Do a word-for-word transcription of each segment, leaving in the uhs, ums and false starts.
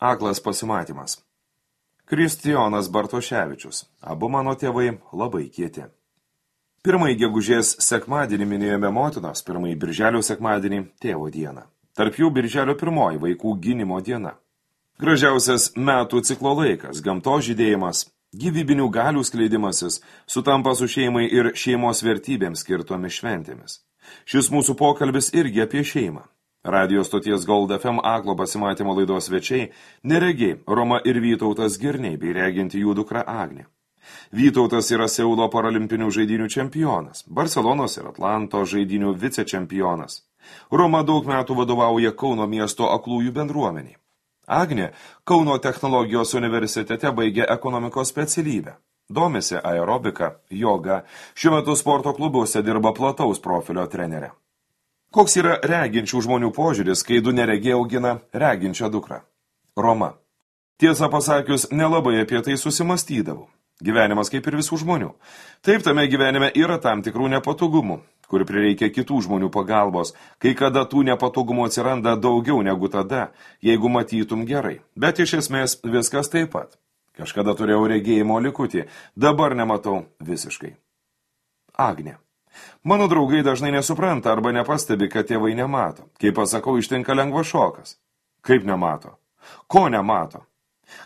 Aklas pasimatymas. Kristijonas Bartoševičius. Abu mano tėvai labai kieti. Pirmąjį gegužės sekmadienį minėjome motinos, pirmąjį birželio sekmadienį tėvo dieną. Tarp jų birželio pirmoji vaikų gynimo diena. Gražiausias metų ciklo laikas, gamtos žydėjimas, gyvybinių galių skleidimasis sutampa su šeimai ir šeimos vertybėms skirtomis šventėmis. Šis mūsų pokalbis irgi apie šeimą. Radio stoties Gold F M Aklo pasimatymo laidos svečiai neregiai Roma ir Vytautas Girniai bei reginti jų dukra Agnė. Vytautas yra Seulo paralimpinių žaidynių čempionas, Barcelonos ir Atlanto žaidynių vicečempionas. Roma daug metų vadovauja Kauno miesto aklųjų bendruomeniai. Agnė Kauno technologijos universitete baigė ekonomikos specialybę. Domisi aerobika, joga, šiuo metu sporto klubuose dirba plataus profilio trenerė. Koks yra reginčių žmonių požiūris, kai du neregiai augina reginčią dukrą? Roma. Tiesą pasakius, nelabai apie tai susimastydavau. Gyvenimas kaip ir visų žmonių. Taip, tame gyvenime yra tam tikrų nepatogumų, kur prireikia kitų žmonių pagalbos, kai kada tų nepatogumų atsiranda daugiau negu tada, jeigu matytum gerai. Bet iš esmės viskas taip pat. Kažkada turėjau regėjimo likutį, dabar nematau visiškai. Agnė. Mano draugai dažnai nesupranta arba nepastebi, kad tėvai nemato. Kai pasakau, ištinka lengvas šokas. Kaip nemato? Ko nemato?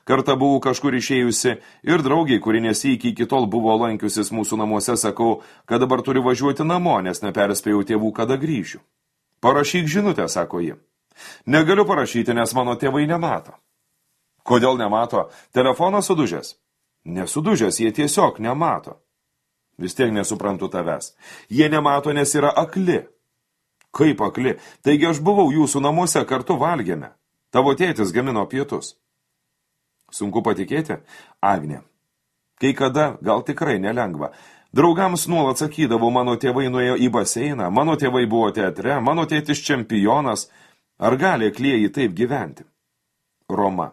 Kartą buvau kažkur išėjusi ir draugiai, kuri nesįkiai iki tol buvo lankiusis mūsų namuose, sakau, kad dabar turiu važiuoti namo, nes neperspėjau tėvų, kada grįšiu. Parašyk žinutę, sako ji. Negaliu parašyti, nes mano tėvai nemato. Kodėl nemato? Telefonas sudužęs? Nesudužęs, jie tiesiog nemato. Vis tiek nesuprantu tavęs. Jie nemato, nes yra akli. Kaip akli? Taigi aš buvau jūsų namuose, kartu valgėme. Tavo tėtis gamino pietus. Sunku patikėti? Agnė. Kai kada, gal tikrai nelengva. Draugams nuolat sakydavo, mano tėvai nuėjo į baseiną, mano tėvai buvo teatre, mano tėtis čempionas. Ar gali aklieji taip gyventi? Roma.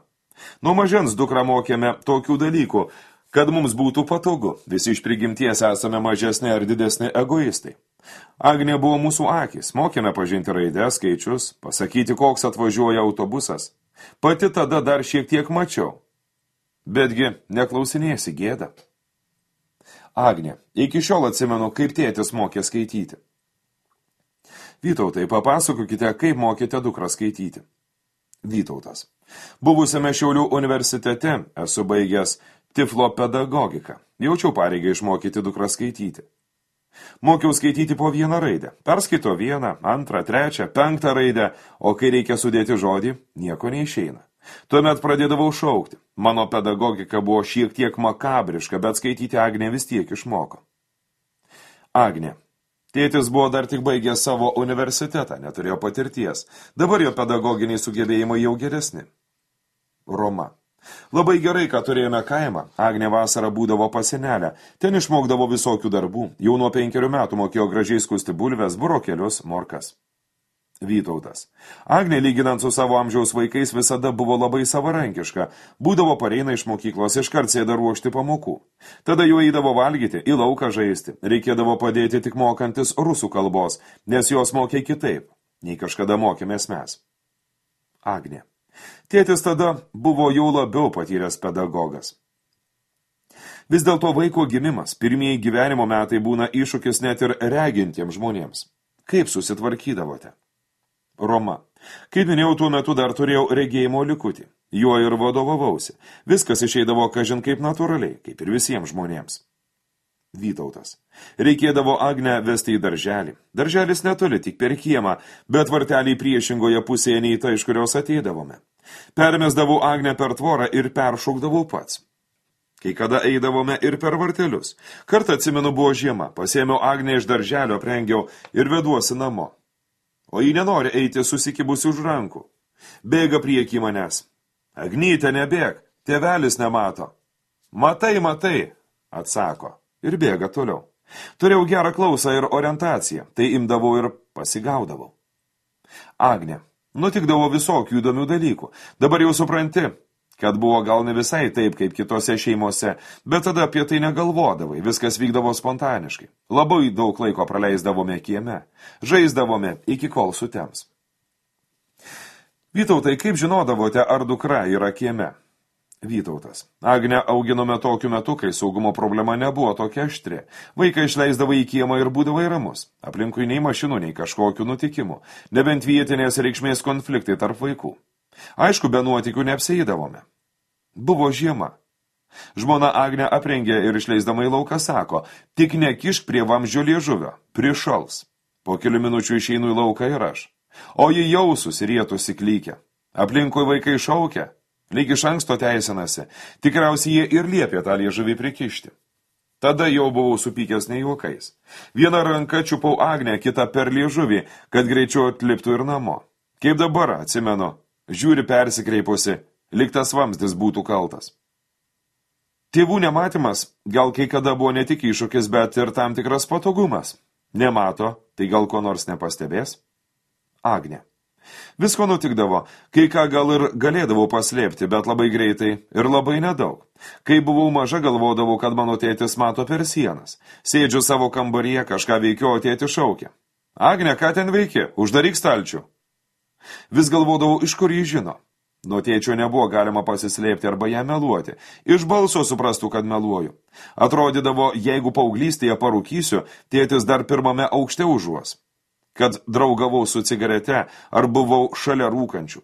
Nuo mažens dukrą mokėme tokių dalykų, kad mums būtų patogu. Visi iš prigimties esame mažesni ar didesni egoistai. Agnė buvo mūsų akis, mokėme pažinti raides, skaičius, pasakyti, koks atvažiuoja autobusas. Pati tada dar šiek tiek mačiau. Betgi neklausinėsi gėda. Agnė, iki šiol atsimenu, kaip tėtis mokė skaityti. Vytautai, papasakokite, kaip mokėte dukrą skaityti. Vytautas. Buvusiame Šiaulių universitete esu baigęs tiflo pedagogiką. Jaučiau pareigą išmokyti dukrą skaityti. Mokiau skaityti po vieną raidę. Perskaito vieną, antrą, trečią, penktą raidę, o kai reikia sudėti žodį, nieko neišeina. Tuomet pradėdavau šaukti. Mano pedagogika buvo šiek tiek makabriška, bet skaityti Agnė vis tiek išmoko. Agnė. Tėtis buvo dar tik baigęs savo universitetą, neturėjo patirties. Dabar jo pedagoginiai sugebėjimai jau geresni. Roma. Labai gerai, kad turėjome kaimą. Agnė vasarą būdavo pas senelę. Ten išmokdavo visokių darbų. Jau nuo penkerių metų mokėjo gražiai skusti bulves, burokėlius, morkas. Vytautas. Agnė, lyginant su savo amžiaus vaikais, visada buvo labai savarankiška. Būdavo pareina iš mokyklos, iškart sėda ruošti pamokų. Tada jau eidavo valgyti, į lauką žaisti. Reikėdavo padėti tik mokantis rusų kalbos, nes jos mokė kitaip, nei kažkada mokėmės mes. Agnė. Tėtis tada buvo jau labiau patyręs pedagogas. Vis dėlto vaiko gimimas, pirmieji gyvenimo metai būna iššūkis net ir regintiems žmonėms. Kaip susitvarkydavote? Roma. Kaip minėjau, tuo metu dar turėjau regėjimo likutį. Juo ir vadovavausi. Viskas išeidavo kažin kaip natūraliai, kaip ir visiems žmonėms. Vytautas. Reikėdavo Agnę vesti į darželį. Darželis netoli, tik per kiemą, bet varteliai priešingoje pusėje nei ta, iš kurios ateidavome. Permesdavau Agnę per tvorą ir peršaukdavau pats. Kai kada eidavome ir per vartelius. Kartą atsimenu buvo žiema, pasėmiau Agnę iš darželio, aprengiau ir veduosi namo. O ji nenori eiti susikibusi už rankų. Bėga prieki manęs. Agnyte, nebėg, tėvelis nemato. Matai, matai, atsako. Ir bėga toliau. Turėjau gerą klausą ir orientaciją, tai imdavau ir pasigaudavau. Agnė, nutikdavo visokių įdomių dalykų. Dabar jau supranti, kad buvo gal ne visai taip, kaip kitose šeimose, bet tada apie tai negalvodavai, viskas vykdavo spontaniškai. Labai daug laiko praleisdavome kieme, žaisdavome iki kol sutems. Vytautai, kaip žinodavote, ar dukra yra kieme? Vytautas. Agnę auginome tokiu metu, kai saugumo problema nebuvo tokia aštri. Vaiką išleisdavo į kiemą ir būdavo ramus. Aplinkui nei mašinų, nei kažkokių nutikimų. Nebent vietinės reikšmės konfliktai tarp vaikų. Aišku, be nuotykių neapsieidavome. Buvo žiema. Žmona Agnė aprengė ir išleisdama į lauką sako, tik nekišk prie vamzdžio liežuvio, prišals. Po kelių minučių išeinu į lauką ir aš. O ji jau susirietusi klykia. Aplinkui vaikai šaukia, lyg iš anksto teisinasi. Tikriausiai jie ir liepė tą liežuvį prikišti. Tada jau buvau supykęs ne juokais. Vieną ranką čiupau Agnę, kitą per liežuvį, kad greičiau atliptų ir namo. Kaip dabar, atsimenu, žiūri persikreipusi, lyg tas vamzdis būtų kaltas. Tėvų nematymas gal kai kada buvo ne tik iššūkis, bet ir tam tikras patogumas. Nemato, tai gal ko nors nepastebės? Agnė. Visko nutikdavo, kai ką gal ir galėdavau paslėpti, bet labai greitai ir labai nedaug. Kai buvau maža, galvodavau, kad mano tėtis mato per sienas. Sėdžiu savo kambaryje, kažką veikiu, o tėtis šaukia. Agnė, ką ten veiki? Uždaryk stalčių. Vis galvodavau, iš kur jį žino. Nuo tėčio nebuvo galima pasislėpti arba ją meluoti. Iš balso suprastų, kad meluoju. Atrodydavo, jeigu paauglystėje parūkysiu, tėtis dar pirmame aukšte užuos. Kad draugavau su cigarete ar buvau šalia rūkančių.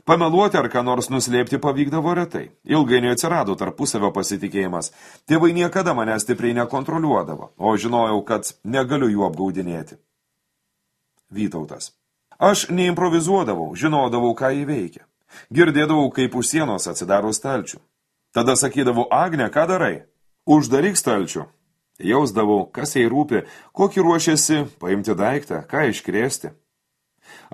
Pameluoti ar ką nors nuslėpti pavykdavo retai. Ilgainiui atsirado tarpusavio pasitikėjimas. Tėvai niekada mane stipriai nekontroliuodavo, o žinojau, kad negaliu jų apgaudinėti. Vytautas. Aš neimprovizuodavau, žinodavau, ką įveikia. Girdėdavau, kaip už sienos atsidaro stalčių. Tada sakydavau, Agne, ką darai? Uždaryk stalčių. Jausdavau, kas jai rūpi, kokį ruošiasi paimti daiktą, ką iškrėsti.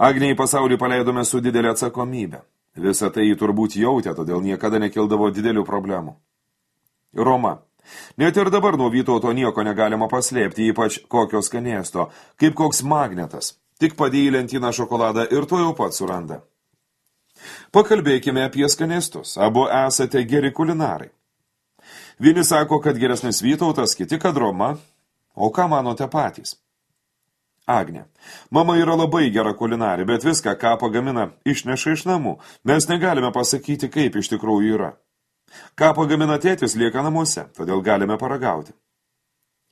Agnei pasaulį paleidome su didelė atsakomybė. Visą tai jį turbūt jautė, todėl niekada nekildavo didelių problemų. Roma. Net ir dabar nuo Vytauto nieko negalima paslėpti, ypač kokio skanėsto, kaip koks magnetas. Tik padėjai lentyną šokoladą ir to jau pat suranda. Pakalbėkime apie skanėstus. Abu esate geri kulinarai. Vieni sako, kad geresnis Vytautas, kiti, kad Roma. O ką manote patys? Agnė. Mama yra labai gera kulinarė, bet viską, ką pagamina, išneša iš namų. Mes negalime pasakyti, kaip iš tikrųjų yra. Ką pagamina tėtis, lieka namuose, todėl galime paragauti.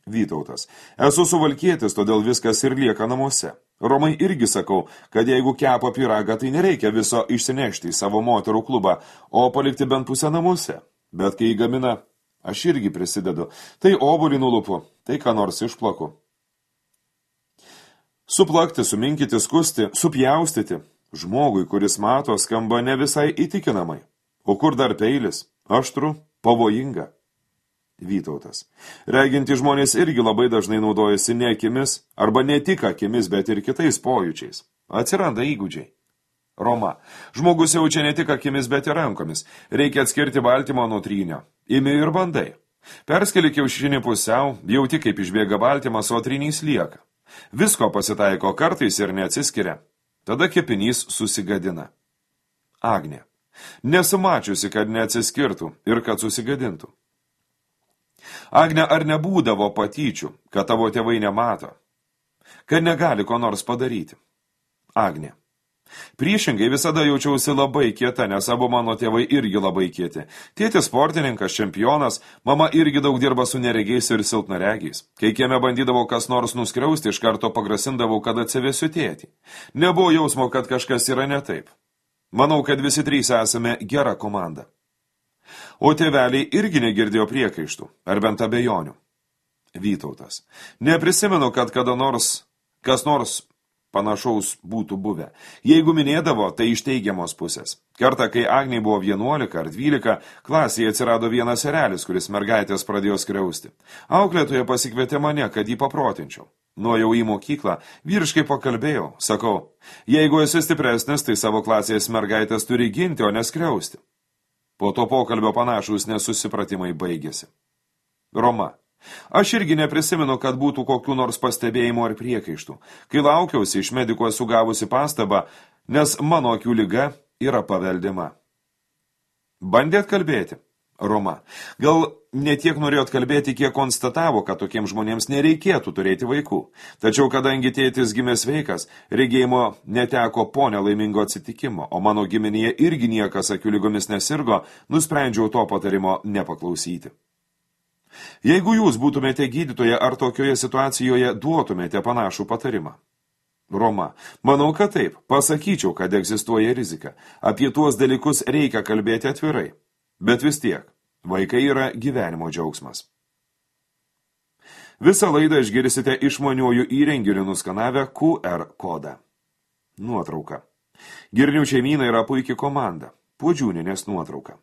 Vytautas. Esu suvalkietis, todėl viskas ir lieka namuose. Romai irgi sakau, kad jeigu kepa pyragą, tai nereikia viso išsinešti į savo moterų klubą, o palikti bent pusę namuose. Bet kai jį gamina, aš irgi prisidedu. Tai obuolį nulupu, tai ką nors išplaku. Suplakti, suminkyti, skusti, supjaustyti. Žmogui, kuris mato, skamba ne visai įtikinamai. O kur dar peilis? Aštru, pavojinga. Vytautas. Reginti žmonės irgi labai dažnai naudojasi ne akimis, arba ne tik akimis, bet ir kitais pojūčiais. Atsiranda įgūdžiai. Roma. Žmogus jaučia ne tik akimis, bet ir rankomis. Reikia atskirti baltymą nuo trynio. Imi ir bandai. Perskeli kiaušinį pusiau, jauti kaip išbėga baltymas, o trynys lieka. Visko pasitaiko kartais ir neatsiskiria. Tada kepinys susigadina. Agnė. Nesumačiusi, kad neatsiskirtų ir kad susigadintų. Agne, ar nebūdavo patyčių, kad tavo tėvai nemato? Kad negali ko nors padaryti? Agnė. Priešingai visada jaučiausi labai kieta, nes abu mano tėvai irgi labai kieti. Tėtis sportininkas, čempionas, mama irgi daug dirba su neregiais ir silpnaregiais. Kai kieme bandydavo kas nors nuskriausti, iš karto pagrasindavau, kad atsivesiu tėtį. Nebuvo jausmo, kad kažkas yra ne taip. Manau, kad visi trys esame gera komanda. O tėveliai irgi negirdėjo priekaištų, ar bent abejonių. Vytautas. Neprisimenu, kad kada nors, kas nors panašaus būtų buvę. Jeigu minėdavo, tai iš teigiamos pusės. Kartą, kai Agnei buvo vienuolika ar dvylika, klasėje atsirado vienas erelis, kuris mergaitės pradėjo skriausti. Auklėtoja pasikvietė mane, kad jį paprotinčiau. Nuėjau į mokyklą, vyriškai pakalbėjau, sakau, jeigu esi stipresnis, tai savo klasės mergaitės turi ginti, o neskriausti. Po to pokalbio panašūs nesusipratimai baigėsi. Roma. Aš irgi neprisimenu, kad būtų kokių nors pastebėjimų ar priekaištų. Kai laukiausi, iš mediko esu gavusi pastabą, nes mano akių liga yra paveldima. Bandėt kalbėti? Roma. Gal netiek norėjot kalbėti, kiek konstatavo, kad tokiems žmonėms nereikėtų turėti vaikų. Tačiau, kadangi tėtis gimė sveikas, regėjimo neteko po nelaimingo atsitikimo, o mano giminėje irgi niekas akių lygomis nesirgo, nusprendžiau to patarimo nepaklausyti. Jeigu jūs būtumėte gydytoje ar tokioje situacijoje, duotumėte panašų patarimą. Roma. Manau, kad taip. Pasakyčiau, kad egzistuoja rizika. Apie tuos dalykus reikia kalbėti atvirai. Bet vis tiek, vaikai yra gyvenimo džiaugsmas. Visą laidą išgirsite išmaniuoju įrenginiu nuskanavę Q R kodą. Nuotrauka. Girnių šeimyna yra puikia komanda. Puodžiūninės nuotrauka.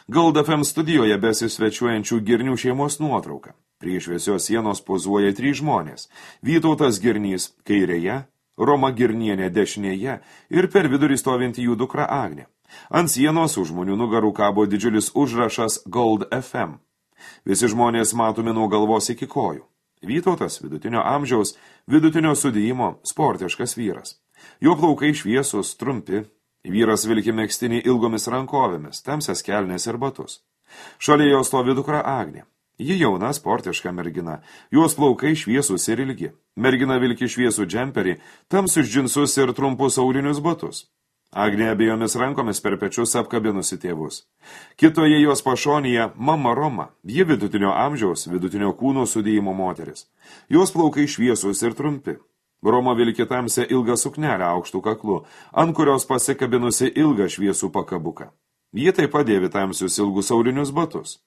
Gold F M studijoje besisvečiuojančių Girnių šeimos nuotrauka. Prie šviesios sienos pozuoja trys žmonės. Vytautas Girnys kairėje, Roma Girnienė dešinėje ir per vidurį stovinti jų dukra Agnė. Ant sienos už žmonių nugarų kabo didžiulis užrašas Gold F M. Visi žmonės matomi nuo galvos iki kojų. Vytautas vidutinio amžiaus, vidutinio sudėjimo, sportiškas vyras. Jo plaukai šviesus, trumpi. Vyras vilki megztinį ilgomis rankovėmis, tamsias kelnes ir batus. Šalia jo stovi dukra Agnė. Ji jauna, sportiška mergina. Jos plaukai šviesus ir ilgi. Mergina vilki šviesų džemperį, tamsius džinsus ir trumpus aulinius batus. Agnė abiejomis rankomis per pečius apkabinusi tėvus. Kitoje jos pašonėje mama Roma, ji vidutinio amžiaus, vidutinio kūno sudėjimo moteris. Jos plaukai šviesus ir trumpi. Roma vilki tamsią ilgą suknelę aukštų kaklu, ant kurios pasikabinusi ilgą šviesų pakabuką. Ji taip pat dėvi tamsius ilgus aulinius batus.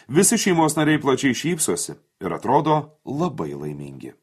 Visi šeimos nariai plačiai šypsosi ir atrodo labai laimingi.